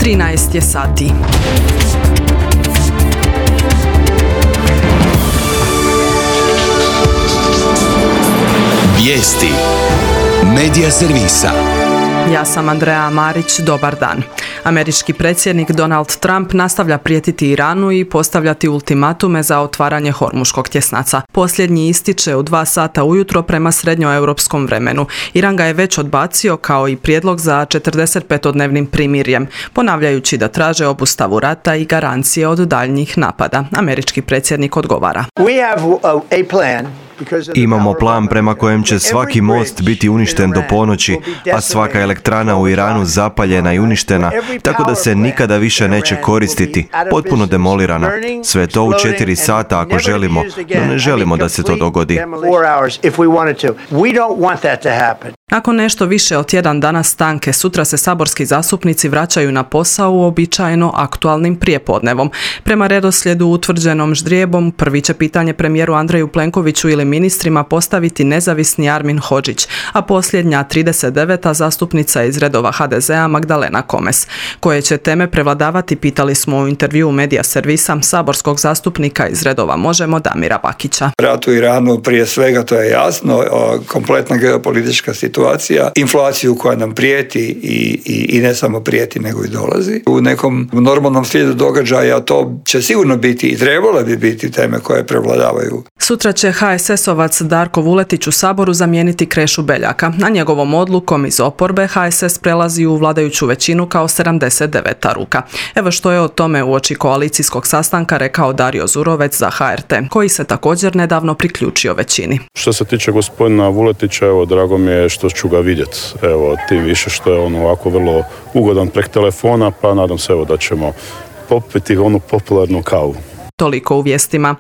13 je sati. Vijesti Medija servisa. Ja sam Andrea Marić, dobar dan. Američki predsjednik Donald Trump nastavlja prijetiti Iranu i postavljati ultimatume za otvaranje Hormuškog tjesnaca. Posljednji ističe u 2 sata ujutro prema srednjoeuropskom vremenu. Iran ga je već odbacio kao i prijedlog za 45-dnevnim primirjem, ponavljajući da traže obustavu rata i garancije od daljnjih napada. Američki predsjednik odgovara. Imamo plan prema kojem će svaki most biti uništen do ponoći, a svaka elektrana u Iranu zapaljena i uništena, tako da se nikada više neće koristiti, potpuno demolirana. Sve to u 4 sata ako želimo, no ne želimo da se to dogodi. Nakon nešto više od tjedan dana stanke, sutra se saborski zastupnici vraćaju na posao uobičajeno aktualnim prijepodnevom. Prema redoslijedu utvrđenom ždrijebom, prvi će pitanje premijeru Andreju Plenkoviću ili ministrima postaviti nezavisni Armin Hodžić, a posljednja 39. zastupnica iz redova HDZ-a Magdalena Komes. Koje će teme prevladavati, pitali smo u intervjuu Medija servisa saborskog zastupnika iz redova Možemo Damira Bakića. Rat u Iranu prije svega, to je jasno, kompletna geopolitička situacija, inflaciju koja nam prijeti i ne samo prijeti nego i dolazi. U nekom normalnom slijedu događaja to će sigurno biti i trebale bi biti teme koje prevladavaju. Sutra će HSS-ovac Darko Vuletić u Saboru zamijeniti Krešu Beljaka. Na njegovom odlukom iz oporbe HSS prelazi u vladajuću većinu kao 79. ruka. Evo što je o tome uoči koalicijskog sastanka rekao Dario Zurovec za HRT, koji se također nedavno priključio većini. Što se tiče gospodina Vuletića, evo, drago mi je što ću ga vidjeti. Evo, tim više što je on ovako vrlo ugodan prek telefona, pa nadam se evo da ćemo popiti onu popularnu kavu. Toliko u vijestima.